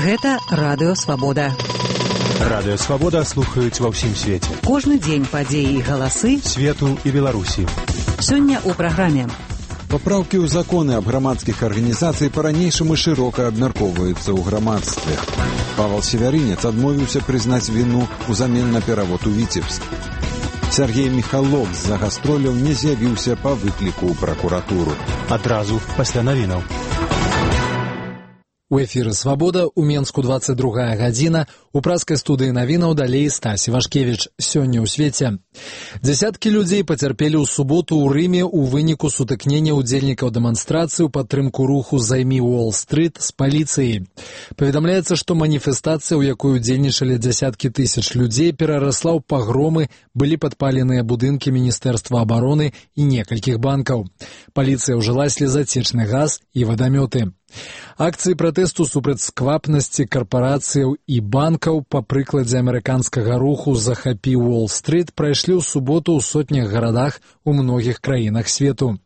Гэта Радыё Свабода. Радыё Свабода слухаюць ва ўсім свеце. Кожны дзень падзеі і галасы свету і Беларусі. Сёння ў праграме. Папраўкі ў законы аб грамадскіх арганізацый па-ранейшаму шырока абмяркоўваюцца ў грамадстве. Павел Севярынец адмовіўся прызнаць віну ўзамен на перавод у Віцебск. Сергей Михалок з-за гастроляў не з'явіўся па выкліку ў пракуратуру. Адразу пасля навінаў. У эфіры «Свабода», у Менску 22 гадзіна, у праскай студыі навінаў далей Стасі Вашкевіч. Сёння ў свеце. Дзясяткі людзей пацярпелі ў суботу ў Рыме ў выніку сутыкнення ўдзельнікаў дэманстрацыі ў падтрымку руху «Займі Уолл-стрыт» з паліцыяй. Паведамляецца, што маніфестацыя, у якой удзельнічалі дзясяткі тысяч людзей, перарасла ў пагромы, былі падпаленыя будынкі Міністэрства абароны і некалькіх банкаў. Паліцыя ўжыла слезацечны газ і вадамёты. Акцыі пратэсту супраць сквапнасці карпарацыяў і банкаў па прыкладзе амерыканскага руху «Захапі Уолл-стрыт» прайшлі ў суботу ў сотнях гарадах у многіх краінах свету.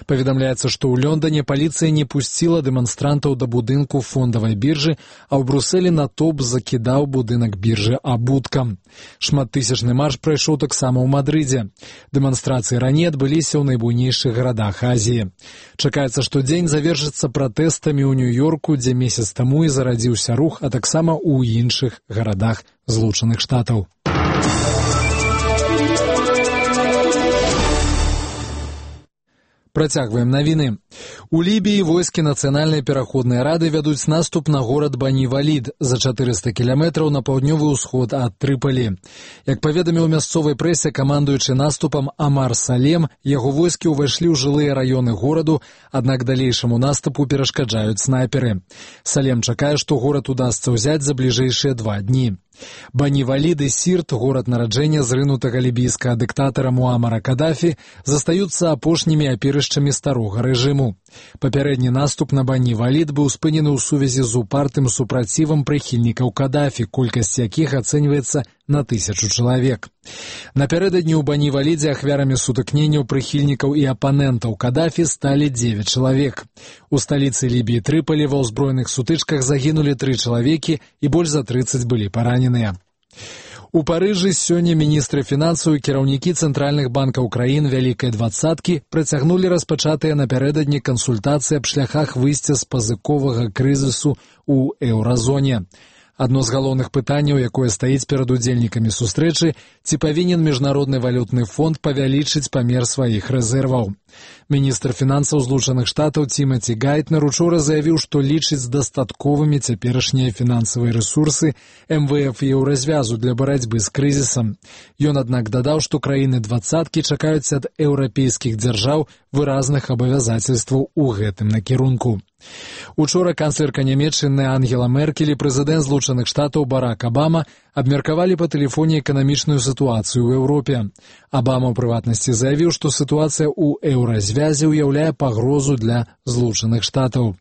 Паведамляецца, што ў Лондоне паліцыя не пусціла дэманстрантаў да будынку фондавай біржы, а ў Брусэлі натоўп закідаў будынак біржы абуткам. Шматтысячны марш прайшоў таксама ў Мадрыдзе. Дэманстрацыі раней адбыліся ў найбуйнейшых гарадах Азіі. Чакаецца, што дзень завершыцца пратэстамі ў Нью-Йорку, дзе месяц таму і зарадзіўся рух, а таксама ў іншых гарадах Злучаных Штатаў. Працягваем навіны. У Лібіі войскі Нацыянальнай пераходнай рады вядуць наступ на горад Бані-Валід за 400 кіламетраў на паўднёвы ўсход ад Трыпалі. Як паведаміў мясцовай прэсе камандуючы наступам Амар Салем, яго войскі ўвайшлі ў жылыя раёны гораду, аднак далейшаму наступу перашкаджаюць снайперы. Салем чакае, што горад удасца ўзяць за бліжэйшыя 2 дні. Бані-Валід і Сірт, горад нараджэння зрынутага лібійскага дыктатара Муамара Кадафі, застаюцца апошнімі апірышчамі старога рэжыму. Папярэдні наступ на Бані-Валід быў спынены ў сувязі з упартым супрацівам прыхільнікаў Кадафі, колькасць якіх ацэньваецца на 1000 чалавек. Напярэдадні ў Бані-Валідзе ахвярамі сутыкненняў прыхільнікаў і апанентаў Кадафі сталі 9 чалавек. У сталіцы Лібіі Трыпалі ва ўзброеных сутычках загінулі 3 чалавекі і больш за 30 былі параненыя. У Парыжы сёння міністры фінансаў і кіраўнікі цэнтральных банкаў краін Вялікай двадцаткі працягнулі распачатыя напярэдадні кансультацыі аб шляхах выйсця з пазыковага крызісу ў еўразоне. Адно з галоўных пытанняў, якое стаіць перад удзельнікамі сустрэчы, ці павінен Міжнародны валютны фонд павялічыць памер сваіх рэзерваў. Міністр фінансаў Злучаных Штатаў Тімаці Гайтнер учора заявіў, што лічыць дастатковымі цяперашнія фінансавыя рэсурсы МВФ і еўразвязу для барацьбы з крызісам. Ён, аднак, дадаў, што краіны двадцаткі чакаюць ад еўрапейскіх дзяржаў выразных абавязацельстваў у гэтым накірунку. Учора канцлерка Нямецчыны Ангела Меркель і прэзідэнт Злучаных Штатаў Барак Абама абмеркавалі па тэлефоне эканамічную сітуацыю ў Еўропе. Абама ў прыватнасці заявіў, што сітуацыя ў еўразвязе ўяўляе пагрозу для Злучаных Штатаў.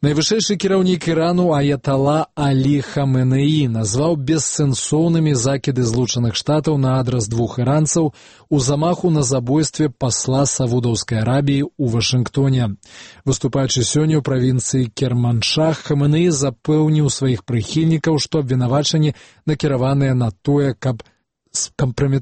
Найвышэйшы кіраўнік Ірану Аятала Алі Хаменеі назваў бессэнсоўнымі закіды Злучаных Штатаў на адрас 2 іранцаў у замаху на забойстве пасла Саудаўскай Арабіі ў Вашынгтоне. Выступаючы сёння ў правінцыі Керманшах, Хаменеі запэўніў сваіх прыхільнікаў, што абвінавачанні накіраваныя на тое, каб скампраметаваць